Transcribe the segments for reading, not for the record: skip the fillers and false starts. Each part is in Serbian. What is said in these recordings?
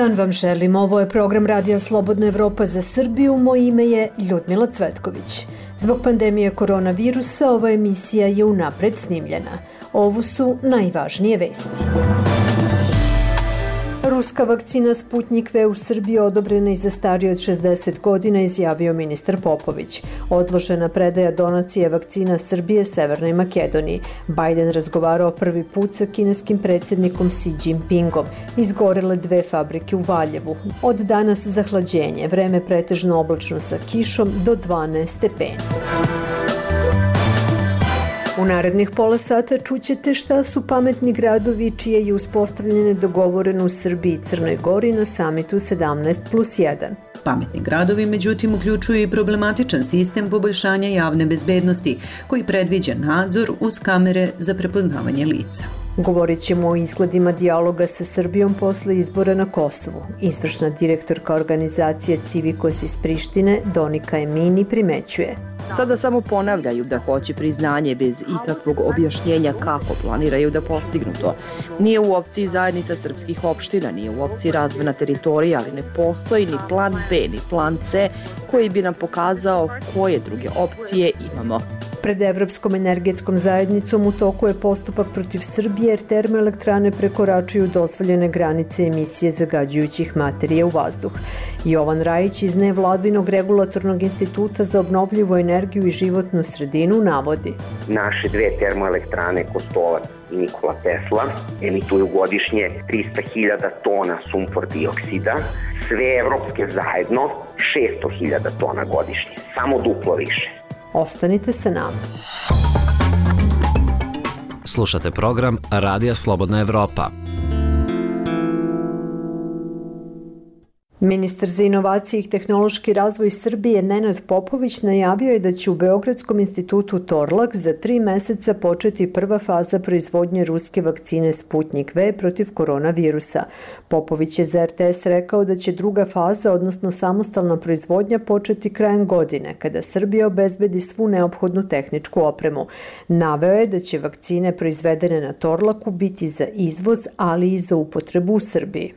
dan vam želim. Ovo je program Radija Slobodna Evropa za Srbiju. Moje ime je Ljudmila Cvetković. Zbog pandemije koronavirusa ova emisija je unapred snimljena. Ovo su najvažnije vesti. Ruska vakcina Sputnik V u Srbiji odobrena i za starije od 60 godina, izjavio ministar Popović. Odložena predaja donacije vakcina Srbije Severnoj Makedoniji. Biden razgovarao prvi put sa kineskim predsjednikom Xi Jinpingom. Izgorele 2 fabrike u Valjevu. Od danas zahlađenje, vreme pretežno oblačno sa kišom do 12 stepeni. U narednih pola sata čućete šta su pametni gradovi čije je uspostavljene dogovoreno u Srbiji i Crnoj Gori na samitu 17+1. Pametni gradovi, međutim, uključuju i problematičan sistem poboljšanja javne bezbednosti, koji predviđa nadzor uz kamere za prepoznavanje lica. Govorit ćemo o izgledima dijaloga sa Srbijom posle izbora na Kosovu. Izvršna direktorka organizacije Civikos iz Prištine, Donika Emini, primećuje. Sada samo ponavljaju da hoće priznanje bez ikakvog objašnjenja kako planiraju da postignu to. Nije u opciji zajednica srpskih opština, nije u opciji razvojna teritorija, ali ne postoji ni plan B, ni plan C koji bi nam pokazao koje druge opcije imamo. Pred Evropskom energetskom zajednicom u toku je postupak protiv Srbije jer termoelektrane prekoračuju dozvoljene granice emisije zagađujućih materija u vazduh. Jovan Rajić iz Nevladinog regulatornog instituta za obnovljivu energiju i životnu sredinu navodi. Naše 2 termoelektrane Kostolac i Nikola Tesla emituju godišnje 300.000 tona sumpor dioksida, sve evropske zajedno 600.000 tona godišnje, samo duplo više. Ostanite sa nama. Slušate program Radija Slobodna Evropa. Ministar za inovacije i tehnološki razvoj Srbije Nenad Popović najavio je da će u Beogradskom institutu Torlak za 3 meseca početi prva faza proizvodnje ruske vakcine Sputnik V protiv koronavirusa. Popović je za RTS rekao da će druga faza, odnosno samostalna proizvodnja, početi krajem godine, kada Srbija obezbedi svu neophodnu tehničku opremu. Naveo je da će vakcine proizvedene na Torlaku biti za izvoz, ali i za upotrebu u Srbiji.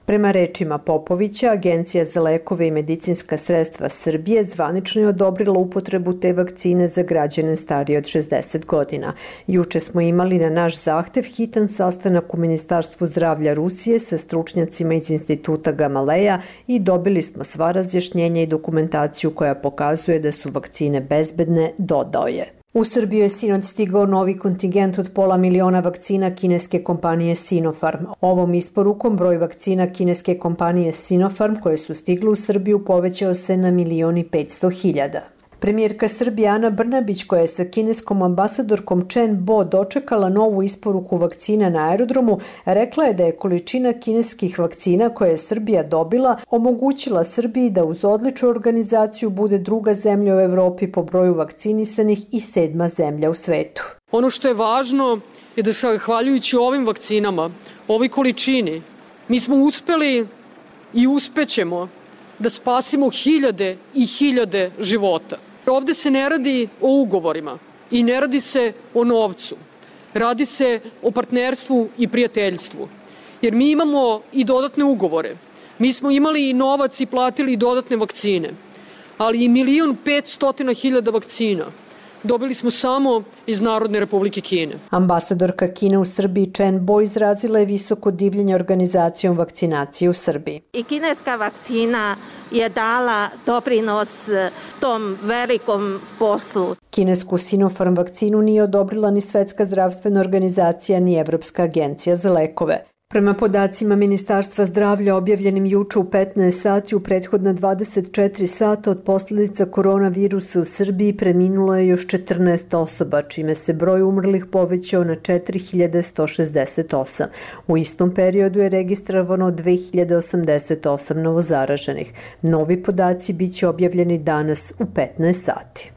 Prema rečima Popovića, Agencija za lekove i medicinska sredstva Srbije zvanično je odobrila upotrebu te vakcine za građane starije od 60 godina. Juče smo imali na naš zahtev hitan sastanak u Ministarstvu zdravlja Rusije sa stručnjacima iz instituta Gamaleja i dobili smo sva razjašnjenja i dokumentaciju koja pokazuje da su vakcine bezbedne, dodao je. U Srbiju je sinoć stigao novi kontingent od 500.000 vakcina kineske kompanije Sinopharm. Ovom isporukom broj vakcina kineske kompanije Sinopharm koje su stigle u Srbiju povećao se na 1.500.000. Premijerka Srbije Ana Brnabić, koja je sa kineskom ambasadorkom Chen Bo dočekala novu isporuku vakcina na aerodromu, rekla je da je količina kineskih vakcina koje je Srbija dobila omogućila Srbiji da uz odličnu organizaciju bude druga zemlja u Evropi po broju vakcinisanih i 7. zemlja u svetu. Ono što je važno je da zahvaljujući ovim vakcinama, ovoj količini, mi smo uspeli i uspećemo da spasimo hiljade i hiljade života. Ovde se ne radi o ugovorima i ne radi se o novcu. Radi se o partnerstvu i prijateljstvu. Jer mi imamo i dodatne ugovore. Mi smo imali i novac i platili i dodatne vakcine. Ali i 1.500.000 vakcina dobili smo samo iz Narodne Republike Kine. Ambasadorka Kine u Srbiji Chen Bo izrazila je visoko divljenje organizacijom vakcinacije u Srbiji. I kineska vakcina je dala doprinos tom velikom poslu. Kinesku Sinopharm vakcinu nije odobrila ni Svetska zdravstvena organizacija ni Evropska agencija za lekove. Prema podacima Ministarstva zdravlja objavljenim juče u 15 sati, u prethodna 24 sata od posljedica koronavirusa u Srbiji preminulo je još 14 osoba, čime se broj umrlih povećao na 4.168. U istom periodu je registrovano 2.088 novozaraženih. Novi podaci biće objavljeni danas u 15 sati.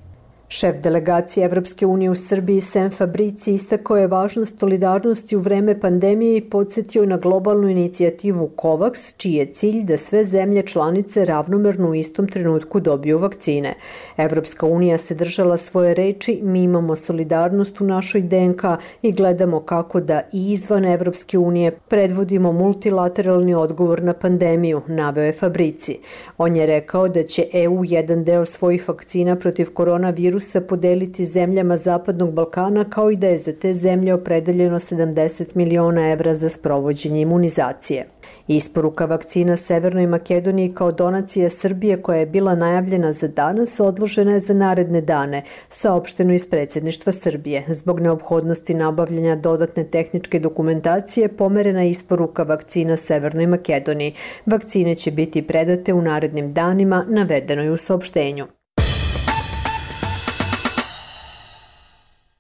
Šef delegacije Evropske unije u Srbiji Sem Fabrici istakao je važnost solidarnosti u vreme pandemije i podsjetio na globalnu inicijativu COVAX, čiji je cilj da sve zemlje članice ravnomerno u istom trenutku dobiju vakcine. Evropska unija se držala svoje reči, mi imamo solidarnost u našoj DNK i gledamo kako da i izvan Evropske unije predvodimo multilateralni odgovor na pandemiju, naveo je Fabrici. On je rekao da će EU jedan deo svojih vakcina protiv koronavirusa podeliti zemljama Zapadnog Balkana, kao i da je za te zemlje opredeljeno 70 miliona evra za sprovođenje imunizacije. Isporuka vakcina Severnoj Makedoniji kao donacija Srbije, koja je bila najavljena za danas, odložena je za naredne dane, saopšteno iz predsjedništva Srbije. Zbog neophodnosti nabavljanja dodatne tehničke dokumentacije pomerena je isporuka vakcina Severnoj Makedoniji. Vakcine će biti predate u narednim danima, navedeno je u saopštenju.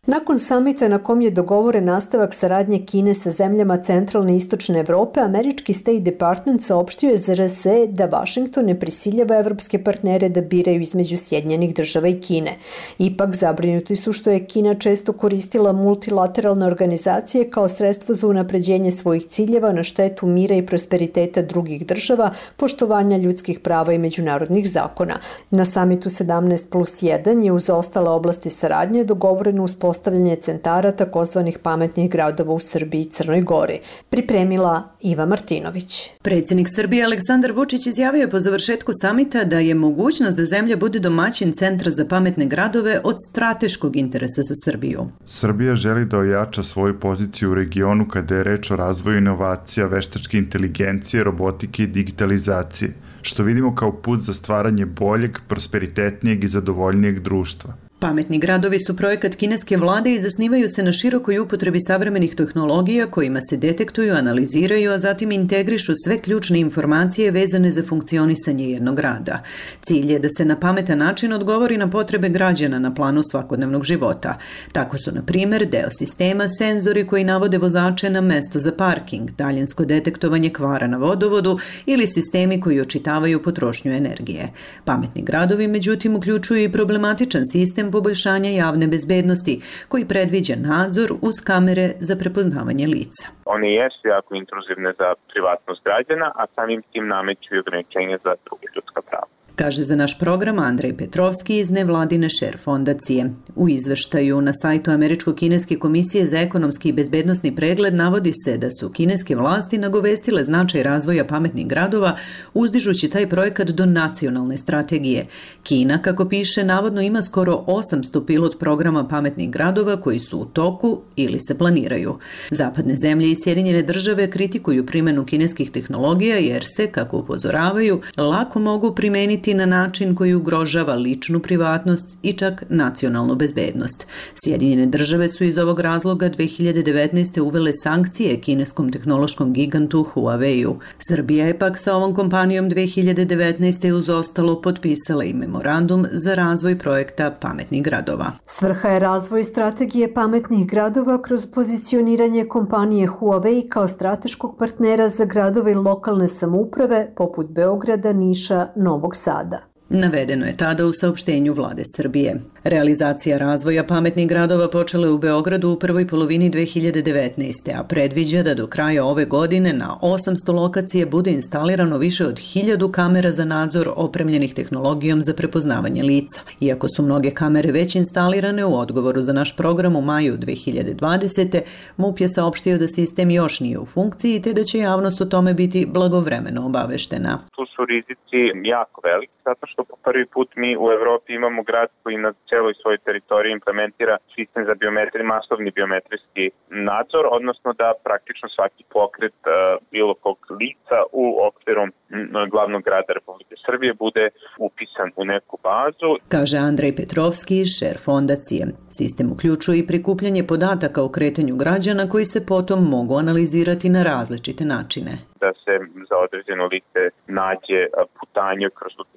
Nakon samita na kom je dogovoren nastavak saradnje Kine sa zemljama centralne i istočne Evrope, američki State Department saopštio je za RS da Vašington ne prisiljava evropske partnere da biraju između Sjedinjenih Država i Kine. Ipak zabrinuti su što je Kina često koristila multilateralne organizacije kao sredstvo za unapređenje svojih ciljeva na štetu mira i prosperiteta drugih država, poštovanja ljudskih prava i međunarodnih zakona. Na samitu 17+1 je uz ostale oblasti saradnje dogovoreno uspostavljanje centara takozvanih pametnih gradova u Srbiji i Crnoj Gori. Pripremila Iva Martinović. Predsjednik Srbije Aleksandar Vučić izjavio je po završetku samita da je mogućnost da zemlja bude domaćin centra za pametne gradove od strateškog interesa za Srbiju. Srbija želi da ojača svoju poziciju u regionu kada je reč o razvoju inovacija, veštačke inteligencije, robotike i digitalizacije, što vidimo kao put za stvaranje boljeg, prosperitetnijeg i zadovoljnijeg društva. Pametni gradovi su projekat kineske vlade i zasnivaju se na širokoj upotrebi savremenih tehnologija kojima se detektuju, analiziraju, a zatim integrišu sve ključne informacije vezane za funkcionisanje jednog grada. Cilj je da se na pametan način odgovori na potrebe građana na planu svakodnevnog života. Tako su, na primjer, deo sistema senzori koji navode vozače na mesto za parking, daljinsko detektovanje kvara na vodovodu ili sistemi koji očitavaju potrošnju energije. Pametni gradovi, međutim, uključuju i problematičan sistem poboljšanja javne bezbednosti, koji predviđa nadzor uz kamere za prepoznavanje lica. One jesu jako intruzivne za privatnost građana, a samim tim nameću i ograničenja za druge ljudska prava. Kaže za naš program Andrej Petrovski iz nevladine Share fondacije. U izveštaju na sajtu Američko-kineske komisije za ekonomski i bezbednosni pregled navodi se da su kineske vlasti nagovestile značaj razvoja pametnih gradova, uzdižući taj projekat do nacionalne strategije. Kina, kako piše, navodno ima skoro 800 pilot programa pametnih gradova koji su u toku ili se planiraju. Zapadne zemlje i Sjedinjene Države kritikuju primjenu kineskih tehnologija jer se, kako upozoravaju, lako mogu primeniti na način koji ugrožava ličnu privatnost i čak nacionalnu bezbednost. Sjedinjene Države su iz ovog razloga 2019. uvele sankcije kineskom tehnološkom gigantu Huawei-u. Srbija je pak sa ovom kompanijom 2019. uz ostalo potpisala i memorandum za razvoj projekta pametnih gradova. Svrha je razvoj strategije pametnih gradova kroz pozicioniranje kompanije Huawei kao strateškog partnera za gradove i lokalne samouprave poput Beograda, Niša, Novog Sada. Navedeno je tada u saopštenju vlade Srbije. Realizacija razvoja pametnih gradova počela je u Beogradu u prvoj polovini 2019. a predviđa da do kraja ove godine na 800 lokacije bude instalirano više od 1000 kamera za nadzor opremljenih tehnologijom za prepoznavanje lica. Iako su mnoge kamere već instalirane, u odgovoru za naš program u maju 2020. MUP je saopštio da sistem još nije u funkciji te da će javnost o tome biti blagovremeno obaveštena. Tu su rizici jako veliki, zato što po prvi put mi u Evropi imamo grad koji na celoj svojoj teritoriji implementira sistem za masovni biometrijski nadzor, odnosno da praktično svaki pokret bilo kog lica u okviru glavnog grada Republike Srbije bude upisan u neku bazu. Kaže Andrej Petrovski iz Share fondacije. Sistem uključuje i prikupljanje podataka o kretanju građana koji se potom mogu analizirati na različite načine. Da se za određeno lice nađe putanje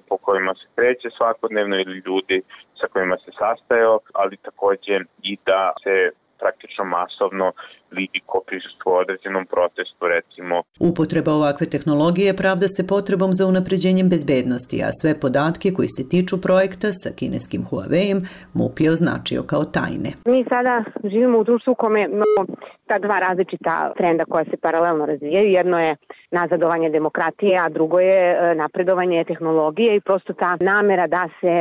po kojima se kreće svakodnevno ili ljudi sa kojima se sastajao, ali također i da se praktično masovno vidi ko prisustvuje određenom protestu, recimo. Upotreba ovakve tehnologije pravda se potrebom za unapređenjem bezbednosti, a sve podatke koji se tiču projekta sa kineskim Huawei-em MUP je označio kao tajne. Mi sada živimo u društvu u kome imamo ta dva različita trenda koja se paralelno razvijaju. Jedno je nazadovanje demokratije, a drugo je napredovanje tehnologije i prosto ta namera da se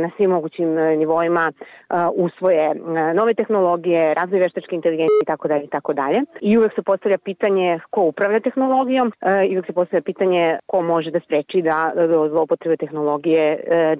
na svim mogućim nivoima usvoje nove tehnologije, razvoj veštačke inteligencije itd. I uvek se postavlja pitanje ko upravlja tehnologijom i uvek se postavlja pitanje ko može da spreči da do zloupotrebe tehnologije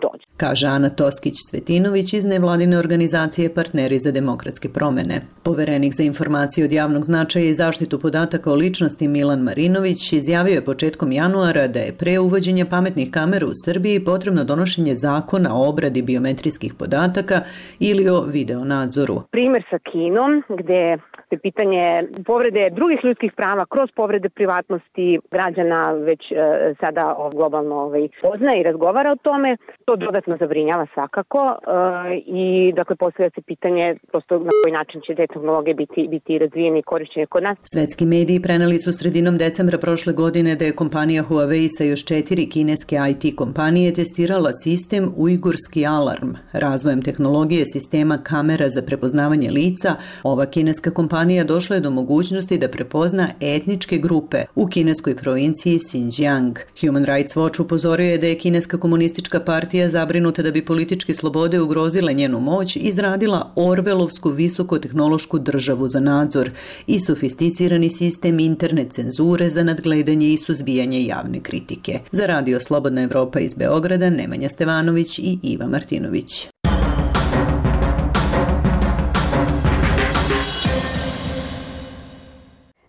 dođe. Kaže Ana Toskić-Cvetinović iz nevladine organizacije Partneri za demokratske promene. Poverenik za informacije od javnog značaja i zaštitu podataka o ličnosti Milan Marinović izjavio je početkom januara da je pre uvođenja pametnih kamera u Srbiji potrebno donošenje zakona o obradi biometrijskih podataka ili o videonadzoru. Primer sa Kinom, gde se pitanje povrede drugih ljudskih prava kroz povrede privatnosti građana već sada globalno poznaje i razgovara o tome. To dodatno zabrinjava svakako i dakle postavlja se pitanje prosto na koji način će te tehnologije biti razvijene i korišćene kod nas. Svetski mediji preneli su sredinom decembra prošle godine da je kompanija Huawei sa još 4 kineske IT kompanije testirala sistem Ujgurski alarm. Razvojem tehnologije sistema kamera za prepoznavanje lica, ova kineska kompanija došla je do mogućnosti da prepozna etničke grupe u kineskoj provinciji Xinjiang. Human Rights Watch upozorio je da je kineska komunistička partija zabrinuta da bi političke slobode ugrozile njenu moć izradila Orvelovsku visokotehnološku državu za nadzor i sofisticirani sistem interne cenzure za nadgledanje i suzbijanje javne kritike. Za Radio Slobodna Evropa iz Beograda Nemanja Stevanović i Iva Martinović.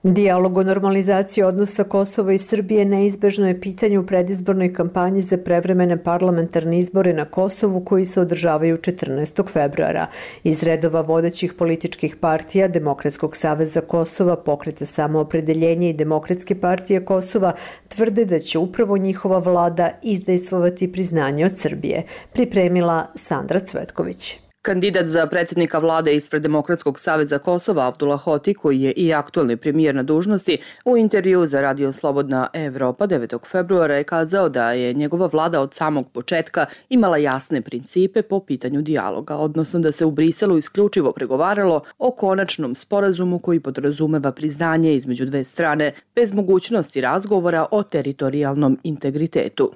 Dijalog o normalizaciji odnosa Kosova i Srbije neizbežno je pitanje u predizbornoj kampanji za prevremene parlamentarne izbore na Kosovu koji se održavaju 14. februara. Iz redova vodećih političkih partija Demokratskog saveza Kosova, Pokreta samoopredeljenja i Demokratske partije Kosova tvrde da će upravo njihova vlada izdejstvovati priznanje od Srbije. Pripremila Sandra Cvetković. Kandidat za predsjednika vlade ispred Demokratskog saveza Kosova Abdullah Hoti, koji je i aktualni premijer na dužnosti, u intervju za Radio Slobodna Evropa 9. februara je kazao da je njegova vlada od samog početka imala jasne principe po pitanju dijaloga, odnosno da se u Briselu isključivo pregovaralo o konačnom sporazumu koji podrazumeva priznanje između dve strane bez mogućnosti razgovora o teritorijalnom integritetu.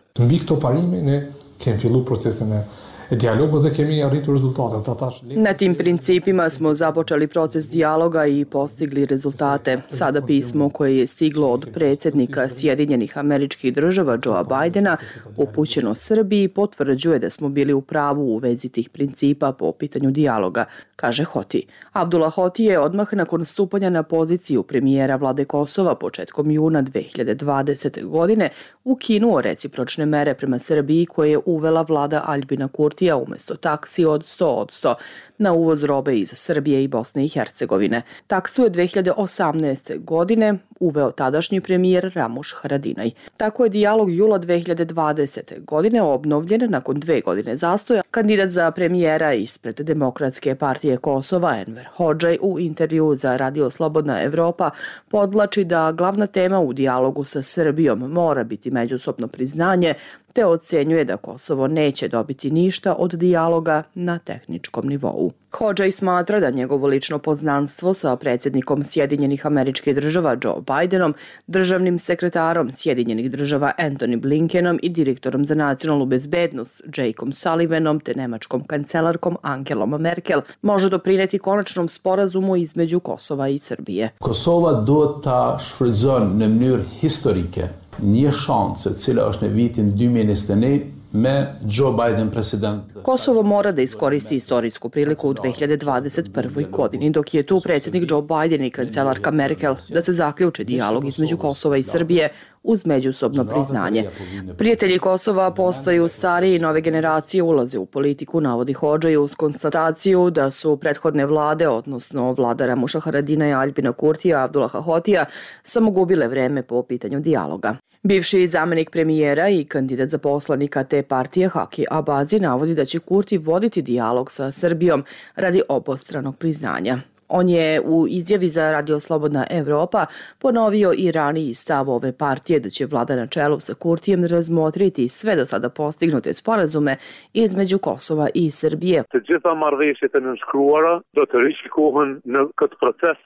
Na tim principima smo započeli proces dijaloga i postigli rezultate. Sada pismo koje je stiglo od predsjednika Sjedinjenih Američkih Država Joea Bidena upućeno Srbiji potvrđuje da smo bili u pravu u vezi tih principa po pitanju dijaloga, kaže Hoti. Abdullah Hoti je odmah nakon stupanja na poziciju premijera vlade Kosova početkom juna 2020. godine ukinuo recipročne mere prema Srbiji koje je uvela vlada Aljbina Kurtija umjesto taksi od 100% na uvoz robe iz Srbije i Bosne i Hercegovine. Taksu je 2018. godine uveo tadašnji premijer Ramuš Haradinaj. Tako je dijalog jula 2020. godine obnovljen nakon 2 godine zastoja. Kandidat za premijera ispred Demokratske partije Kosova Enver Hodžaj u intervju za Radio Slobodna Evropa podvlači da glavna tema u dijalogu sa Srbijom mora biti međusobno priznanje, te ocenjuje da Kosovo neće dobiti ništa od dijaloga na tehničkom nivou. Hodžaj smatra da njegovo lično poznanstvo sa predsjednikom Sjedinjenih Američkih Država Joe Bidenom, državnim sekretarom Sjedinjenih Država Antony Blinkenom i direktorom za nacionalnu bezbednost Jakeom Sullivanom te nemačkom kancelarkom Angelom Merkel može doprineti konačnom sporazumu između Kosova i Srbije. Kosova do ta shfrytëzon në mënyrë historike një shanse cila është në vitin 2021 me Joe Biden president. Kosovo mora da iskoristi istorijsku priliku u 2021. godini, dok je tu predsjednik Joe Biden i kancelarka Merkel da se zaključi dijalog između Kosova i Srbije uz međusobno priznanje. Prijatelji Kosova postaju stariji i nove generacije ulaze u politiku, navodi Hodžaj uz konstataciju da su prethodne vlade, odnosno vlada Ramuša Haradina i Aljbina Kurtija, Abdullaha Hotija, samo gubile vreme po pitanju dijaloga. Bivši zamenik premijera i kandidat za poslanika te partije Haki Abazi navodi da će Kurti voditi dijalog sa Srbijom radi obostranog priznanja. On je u izjavi za Radio Slobodna Evropa ponovio i raniji stav ove partije da će vlada na čelu sa Kurtijem razmotriti sve do sada postignute sporazume između Kosova i Srbije.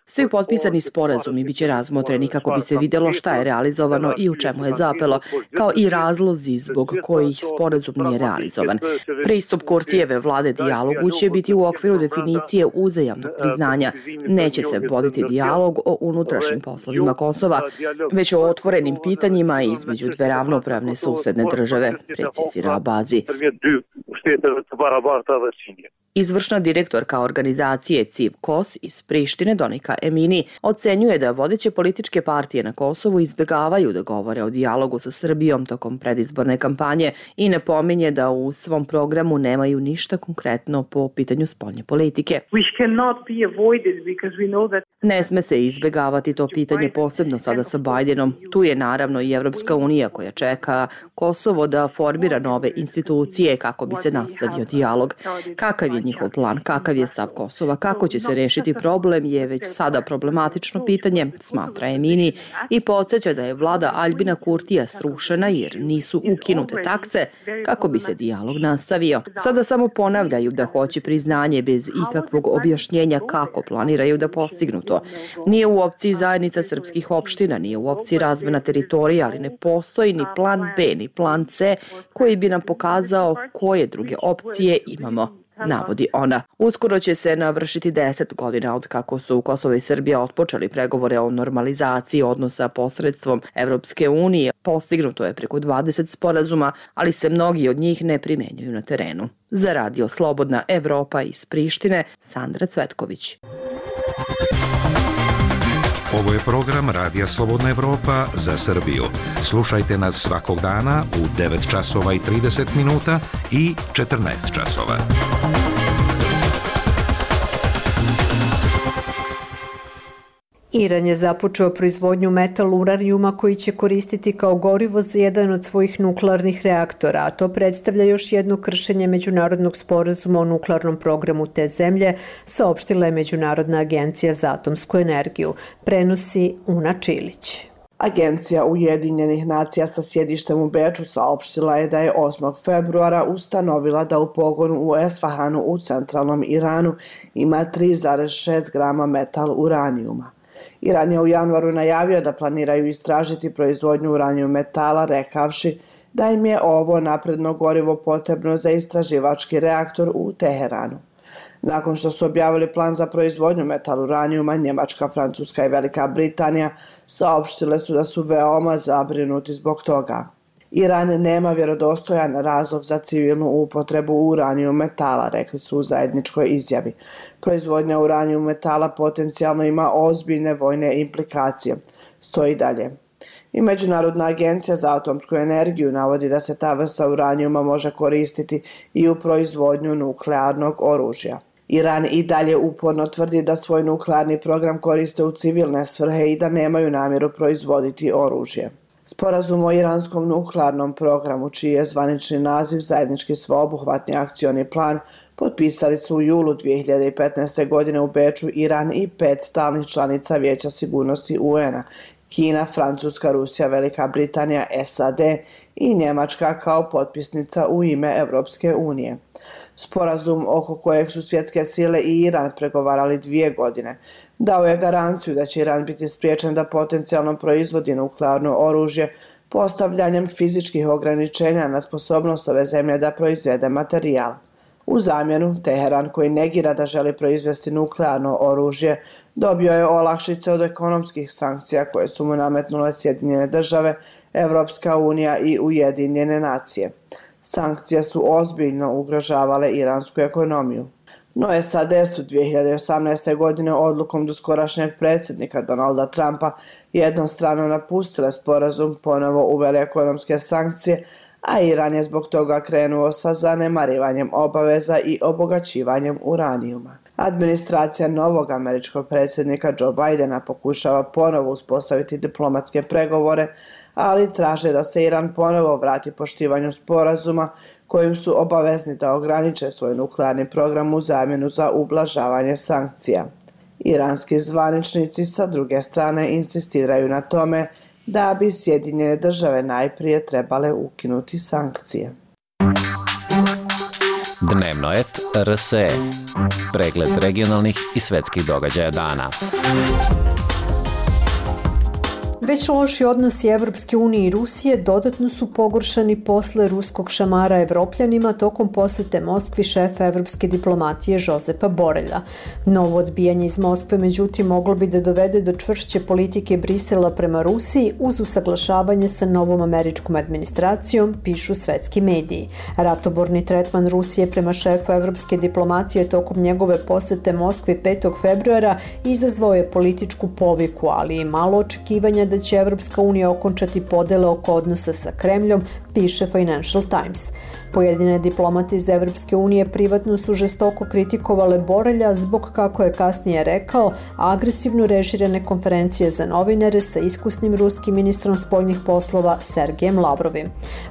Svi potpisani sporazumi biće razmotreni kako bi se vidjelo šta je realizovano i u čemu je zapelo, kao i razlozi zbog kojih sporazum nije realizovan. Pristup Kurtijeve vlade dijalogu će biti u okviru definicije uzajamnog priznanja. Neće se voditi dijalog o unutrašnjim poslovima Kosova, već o otvorenim pitanjima između dve ravnopravne susedne države, precizira Abazi. Izvršna direktorka organizacije CIV KOS iz Prištine, Donika Emini, ocenjuje da vodeće političke partije na Kosovu izbjegavaju da govore o dijalogu sa Srbijom tokom predizborne kampanje i napominje da u svom programu nemaju ništa konkretno po pitanju spoljne politike. Ne sme se izbjegavati to pitanje, posebno sada sa Bajdenom. Tu je naravno i Evropska unija koja čeka Kosovo da formira nove institucije kako bi se nastavio dijalog. Kakav je njihov plan, kakav je stav Kosova, kako će se rešiti problem je već sada problematično pitanje, smatra Emini, i podsjeća da je vlada Aljbina Kurtija srušena jer nisu ukinute takse kako bi se dijalog nastavio. Sada samo ponavljaju da hoće priznanje bez ikakvog objašnjenja kako planiraju da postignu to. Nije u opciji zajednica srpskih opština, nije u opciji razmena teritorija, ali ne postoji ni plan B, ni plan C koji bi nam pokazao koje druge opcije imamo, navodi ona. Uskoro će se navršiti 10 godina od kako su Kosovo i Srbija otpočeli pregovore o normalizaciji odnosa posredstvom Evropske unije. Postignuto je preko 20 sporazuma, ali se mnogi od njih ne primenjuju na terenu. Za Radio Slobodna Evropa iz Prištine, Sandra Cvetković. Ovo je program Radija Slobodna Evropa za Srbiju. Slušajte nas svakog dana u 9 časova i 30 minuta i 14 časova. Iran je započeo proizvodnju metal uranijuma koji će koristiti kao gorivo za jedan od svojih nuklearnih reaktora, a to predstavlja još jedno kršenje međunarodnog sporazuma o nuklearnom programu te zemlje, saopštila je Međunarodna agencija za atomsku energiju, prenosi Una Čilić. Agencija Ujedinjenih nacija sa sjedištem u Beču saopštila je da je 8. februara ustanovila da u pogonu u Esfahanu u centralnom Iranu ima 3,6 grama metal uranijuma. Iran je u januaru najavio da planiraju istražiti proizvodnju uranijum metala, rekavši da im je ovo napredno gorivo potrebno za istraživački reaktor u Teheranu. Nakon što su objavili plan za proizvodnju metal uranijuma, Njemačka, Francuska i Velika Britanija saopštile su da su veoma zabrinuti zbog toga. Iran nema vjerodostojan razlog za civilnu upotrebu uranijum metala, rekli su u zajedničkoj izjavi. Proizvodnja uranijum metala potencijalno ima ozbiljne vojne implikacije. Stoji dalje. I Međunarodna agencija za atomsku energiju navodi da se ta vrsta uranijuma može koristiti i u proizvodnju nuklearnog oružja. Iran i dalje uporno tvrdi da svoj nuklearni program koriste u civilne svrhe i da nemaju namjeru proizvoditi oružje. Sporazum o iranskom nuklearnom programu, čiji je zvanični naziv zajednički sveobuhvatni akcioni plan, potpisali su u julu 2015. godine u Beču Iran i 5 stalnih članica Vijeća sigurnosti UN-a, Kina, Francuska, Rusija, Velika Britanija, SAD i Njemačka kao potpisnica u ime Evropske unije. Sporazum oko kojeg su svjetske sile i Iran pregovarali 2 godine dao je garanciju da će Iran biti spriječen da potencijalno proizvodi nuklearno oružje postavljanjem fizičkih ograničenja na sposobnost ove zemlje da proizvede materijal. U zamjenu, Teheran, koji negira da želi proizvesti nuklearno oružje, dobio je olakšice od ekonomskih sankcija koje su mu nametnule Sjedinjene države, Evropska unija i Ujedinjene nacije. Sankcije su ozbiljno ugrožavale iransku ekonomiju. No SAD su 2018. godine odlukom doskorašnjeg predsjednika Donalda Trumpa jednostrano napustile sporazum, ponovo uveli ekonomske sankcije, a Iran je zbog toga krenuo sa zanemarivanjem obaveza i obogaćivanjem uranijuma. Administracija novog američkog predsjednika Joe Bidena pokušava ponovo uspostaviti diplomatske pregovore, ali traže da se Iran ponovo vrati poštivanju sporazuma kojim su obavezni da ograniče svoj nuklearni program u zamjenu za ublažavanje sankcija. Iranski zvaničnici sa druge strane insistiraju na tome da bi Sjedinjene države najprije trebale ukinuti sankcije. Dnevno et RSE. Pregled regionalnih i svetskih događaja dana. Već loši odnosi Evropske unije i Rusije dodatno su pogoršani posle ruskog šamara Evropljanima tokom posete Moskvi šefa evropske diplomatije Žozepa Borelja. Novo odbijanje iz Moskve, međutim, moglo bi da dovede do čvršće politike Brisela prema Rusiji uz usaglašavanje sa novom američkom administracijom, pišu svetski mediji. Ratoborni tretman Rusije prema šefu evropske diplomatije tokom njegove posete Moskvi 5. februara izazvao je političku poviku, ali i malo očekivanja da će Evropska unija okončati podele oko odnosa sa Kremljom, piše Financial Times. Pojedine diplomate iz Evropske unije privatno su žestoko kritikovale Borelja zbog, kako je kasnije rekao, agresivno režirane konferencije za novinare sa iskusnim ruskim ministrom spoljnih poslova Sergejem Lavrovim.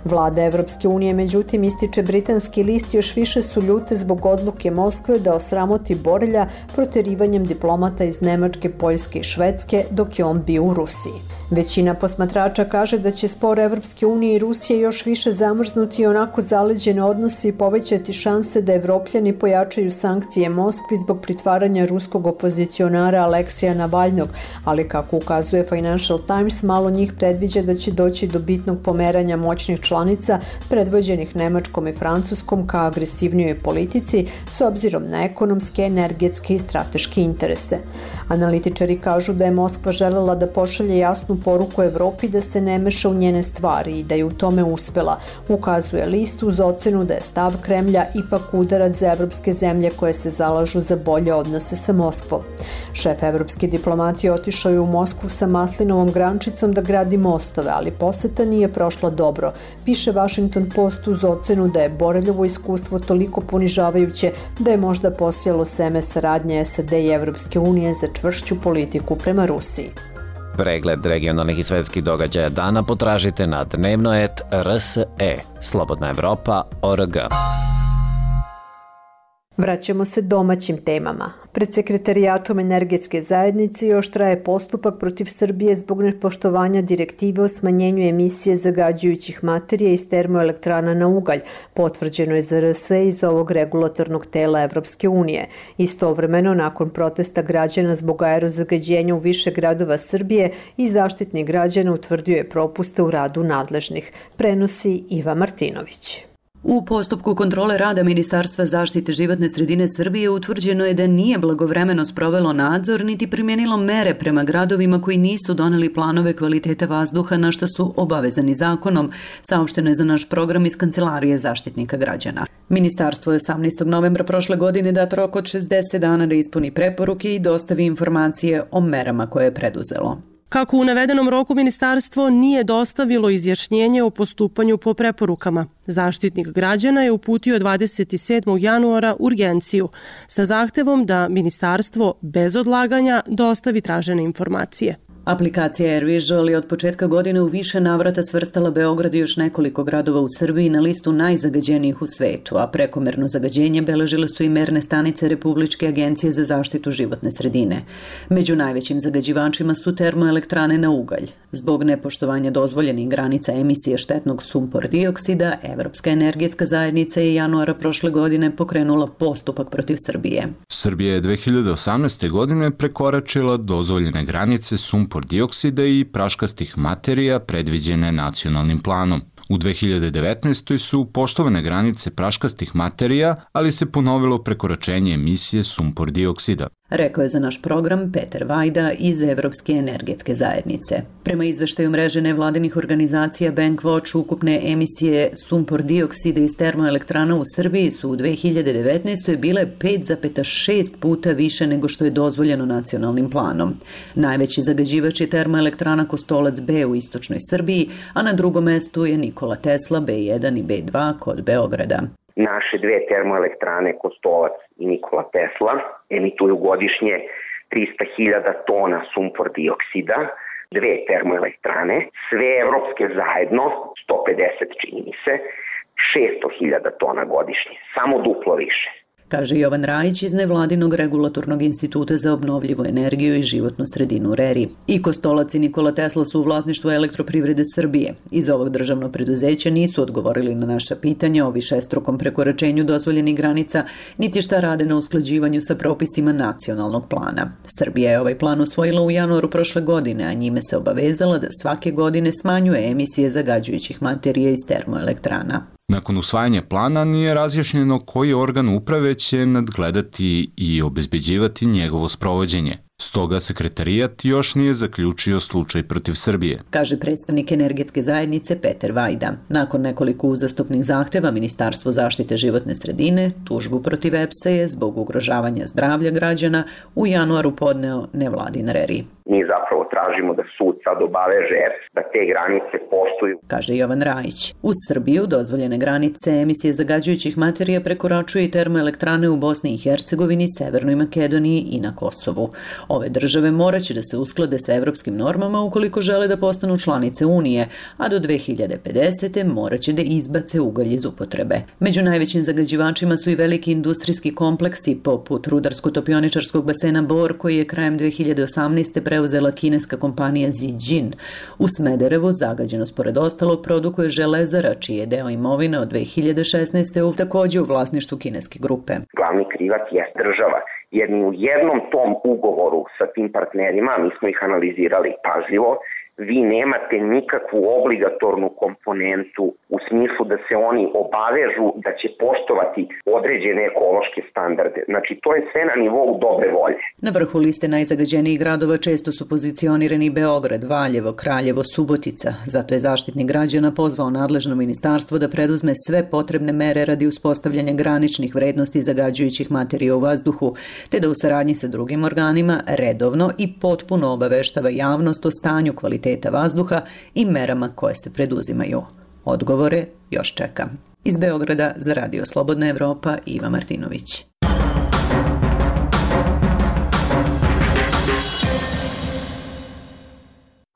Vlada Evropske unije, međutim, ističe britanski list, još više su ljute zbog odluke Moskve da osramoti Borelja proterivanjem diplomata iz Nemačke, Poljske i Švedske dok je on bio u Rusiji. Većina posmatrača kaže da će spor Evropske unije i Rusije još više zamrznuti onako zaleđene odnose i povećati šanse da Evropljani pojačaju sankcije Moskvi zbog pritvaranja ruskog opozicionara Aleksija Navalnog, ali kako ukazuje Financial Times, malo njih predviđa da će doći do bitnog pomeranja moćnih članica predvođenih Nemačkom i Francuskom ka agresivnijoj politici s obzirom na ekonomske, energetske i strateške interese. Analitičari kažu da je Moskva želela da pošalje jasnu poruku Evropi da se ne meša u njene stvari i da je u tome uspela, ukazuje list uz ocenu da je stav Kremlja ipak udarac za evropske zemlje koje se zalažu za bolje odnose sa Moskvom. Šef evropske diplomatije otišao je u Moskvu sa maslinovom grančicom da gradi mostove, ali poseta nije prošla dobro, piše Washington Post uz ocenu da je Boreljovo iskustvo toliko ponižavajuće da je možda posijalo seme saradnje SAD i Evropske unije za čvršću politiku prema Rusiji. Pregled regionalnih i svetskih događaja dana potražite na dnevno et RSE, Slobodna Evropa.org. Vraćamo se domaćim temama. Pred Sekretarijatom energetske zajednice još traje postupak protiv Srbije zbog nepoštovanja direktive o smanjenju emisije zagađujućih materija iz termoelektrana na ugalj, potvrđeno je za RSE iz ovog regulatornog tela Evropske unije. Istovremeno, nakon protesta građana zbog aerozagađenja u više gradova Srbije, i Zaštitnik građana utvrdio je propuste u radu nadležnih, prenosi Iva Martinović. U postupku kontrole rada Ministarstva zaštite životne sredine Srbije utvrđeno je da nije blagovremeno sprovelo nadzor niti primjenilo mere prema gradovima koji nisu doneli planove kvalitete vazduha na što su obavezani zakonom, saopšteno je za naš program iz Kancelarije Zaštitnika građana. Ministarstvo je 18. novembra prošle godine dat rok od 60 dana da ispuni preporuke i dostavi informacije o merama koje je preduzelo. Kako u navedenom roku ministarstvo nije dostavilo izjašnjenje o postupanju po preporukama, Zaštitnik građana je uputio 27. januara urgenciju sa zahtevom da ministarstvo bez odlaganja dostavi tražene informacije. Aplikacija AirVisual je od početka godine u više navrata svrstala Beograd i još nekoliko gradova u Srbiji na listu najzagađenijih u svetu, a prekomerno zagađenje beležile su i merne stanice Republičke agencije za zaštitu životne sredine. Među najvećim zagađivačima su termoelektrane na ugalj. Zbog nepoštovanja dozvoljenih granica emisije štetnog sumpor dioksida, Evropska energetska zajednica je januara prošle godine pokrenula postupak protiv Srbije. Srbija je 2018. godine prekoračila dozvoljene granice sumpor dioksida i praškastih materija predviđene nacionalnim planom. U 2019. su poštovane granice praškastih materija, ali se ponovilo prekoračenje emisije sumpor dioksida. Rekao je za naš program Peter Vajda iz Evropske energetske zajednice. Prema izveštaju mreže nevladinih organizacija Bankwatch, ukupne emisije sumpor dioksida iz termoelektrana u Srbiji su u 2019. bile 5,6 puta više nego što je dozvoljeno nacionalnim planom. Najveći zagađivač je termoelektrana Kostolac B u istočnoj Srbiji, a na drugom mestu je Nikola Tesla B1 i B2 kod Beograda. Naše dve termoelektrane Kostolac i Nikola Tesla emituju godišnje 300.000 tona sumpor dioksida. Dve termoelektrane, sve evropske zajedno, 150 čini mi se, 600.000 tona godišnje, samo duplo više. kaže Jovan Rajić iz nevladinog regulatornog instituta za obnovljivu energiju i životnu sredinu RERI. I Kostolac i Nikola Tesla su u vlasništvu Elektroprivrede Srbije. Iz ovog državnog preduzeća nisu odgovorili na naša pitanja o višestrukom prekoračenju dozvoljenih granica, niti šta rade na usklađivanju sa propisima nacionalnog plana. Srbija je ovaj plan usvojila u januaru prošle godine, a njime se obavezala da svake godine smanjuje emisije zagađujućih materija iz termoelektrana. Nakon usvajanja plana nije razjašnjeno koji organ uprave će nadgledati i obezbeđivati njegovo sprovođenje. Stoga sekretarijat još nije zaključio slučaj protiv Srbije, kaže predstavnik energetske zajednice Peter Vajda. Nakon nekoliko uzastopnih zahteva Ministarstvo zaštite životne sredine tužbu protiv EPS-a je zbog ugrožavanja zdravlja građana u januaru podneo nevladin RERI. Mi zapravo tražimo da sud sad obaveže EPS da te granice poštuju, kaže Jovan Rajić. U Srbiju dozvoljene granice emisije zagađujućih materija prekoračuju i termoelektrane u Bosni i Hercegovini, Severnoj Makedoniji i na Kosovu. Ove države moraće da se usklade sa evropskim normama ukoliko žele da postanu članice Unije, a do 2050. moraće da izbace ugalj iz upotrebe. Među najvećim zagađivačima su i veliki industrijski kompleksi poput rudarsko-topioničarskog basena Bor, koji je krajem 2018. preuzela kineska kompanija Zijin. U Smederevu zagađenost pored ostalog produkuje Železara, čiji je deo imovine od 2016. takođe u vlasništvu kineske grupe. Glavni krivac je država, jer ni u jednom tom ugovoru sa tim partnerima, mi smo ih analizirali pažljivo, vi nemate nikakvu obligatornu komponentu u smislu da se oni obavežu da će poštovati određene ekološke standarde. Znači, to je sve na nivou dobre volje. Na vrhu liste najzagađenijih gradova često su pozicionirani Beograd, Valjevo, Kraljevo, Subotica. Zato je Zaštitnik građana pozvao nadležno ministarstvo da preduzme sve potrebne mere radi uspostavljanja graničnih vrednosti zagađujućih materija u vazduhu, te da u saradnji sa drugim organima redovno i potpuno obaveštava javnost o stanju kvaliteta vazduha i merama koje se preduzimaju. Odgovore još čeka. Iz Beograda za Radio Slobodna Evropa, Iva Martinović.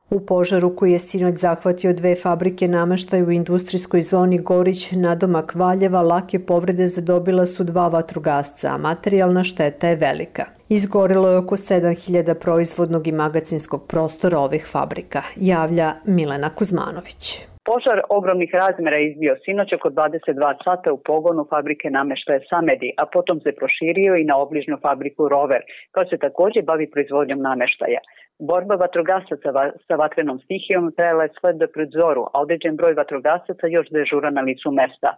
U požaru koji je sinoć zahvatio 2 fabrike nameštaja u industrijskoj zoni Gorić nadomak Valjeva, lake povrede zadobila su 2 vatrogasca, a materijalna šteta je velika. Izgorelo je oko 7000 proizvodnog i magacinskog prostora ovih fabrika, javlja Milena Kuzmanović. Požar ogromnih razmjera izbio sinoć oko 22 sata u pogonu fabrike nameštaja Samedi, a potom se proširio i na obližnju fabriku Rover, koja se također bavi proizvodnjom nameštaja. Borba vatrogasaca sa vatrenom stihijom trajala je sve do pred zoru, a određen broj vatrogasaca još dežura na licu mesta.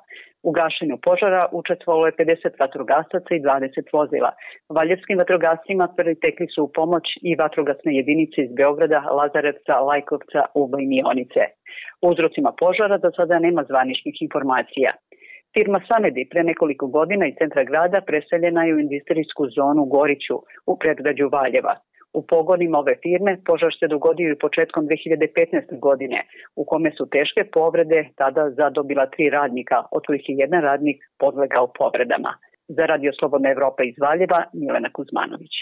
U gašenju požara učestvovalo je 50 vatrogasaca i 20 vozila. Valjevskim vatrogascima pritekli su u pomoć i vatrogasne jedinice iz Beograda, Lazarevca, Lajkovca, Uba i Mionice. O uzrocima požara do sada nema zvaničnih informacija. Firma Samedi pre nekoliko godina iz centra grada preseljena je u industrijsku zonu Goriću u predgrađu Valjeva. U pogonima ove firme požar se dogodio i početkom 2015. godine, u kome su teške povrede tada zadobila 3 radnika, od kojih je jedan radnik podlegao povredama. Za Radio Slobodna Evropa iz Valjeva, Milena Kuzmanović.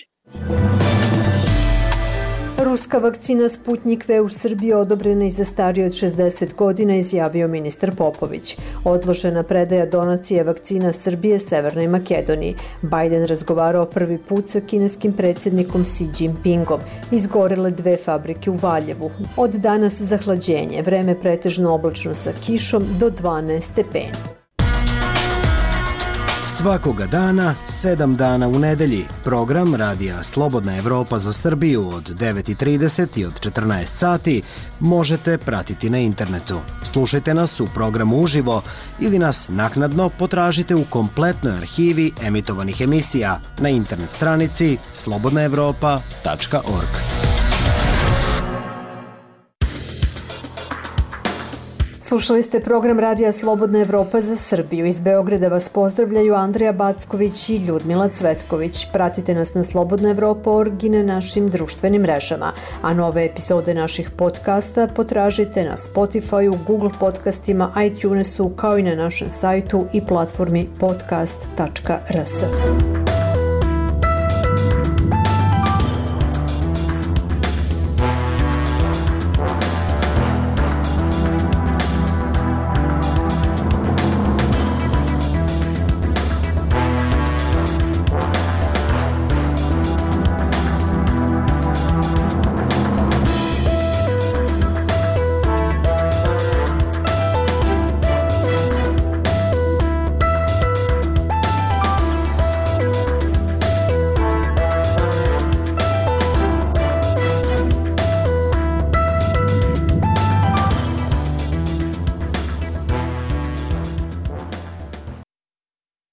Ruska vakcina Sputnik V u Srbiji odobrena i za starije od 60 godina, izjavio ministar Popović. Odložena predaja donacije vakcina Srbije Severnoj Makedoniji. Biden razgovarao prvi put sa kineskim predsjednikom Xi Jinpingom. Izgorele 2 fabrike u Valjevu. Od danas zahlađenje, vreme pretežno oblačno sa kišom do 12 stepeni. Svakoga dana, 7 dana u nedelji. Program Radija Slobodna Evropa za Srbiju od 9:30 i od 14 sati možete pratiti na internetu. Slušajte nas u programu uživo ili nas naknadno potražite u kompletnoj arhivi emitovanih emisija na internet stranici slobodnaevropa.org. Slušali ste program Radija Slobodna Evropa za Srbiju. Iz Beograda vas pozdravljaju Andrija Backović i Ljudmila Cvetković. Pratite nas na slobodnaevropa.org i na našim društvenim mrežama. A nove epizode naših podcasta potražite na Spotify-u, Google podcastima, iTunesu, kao i na našem sajtu i platformi podcast.rs.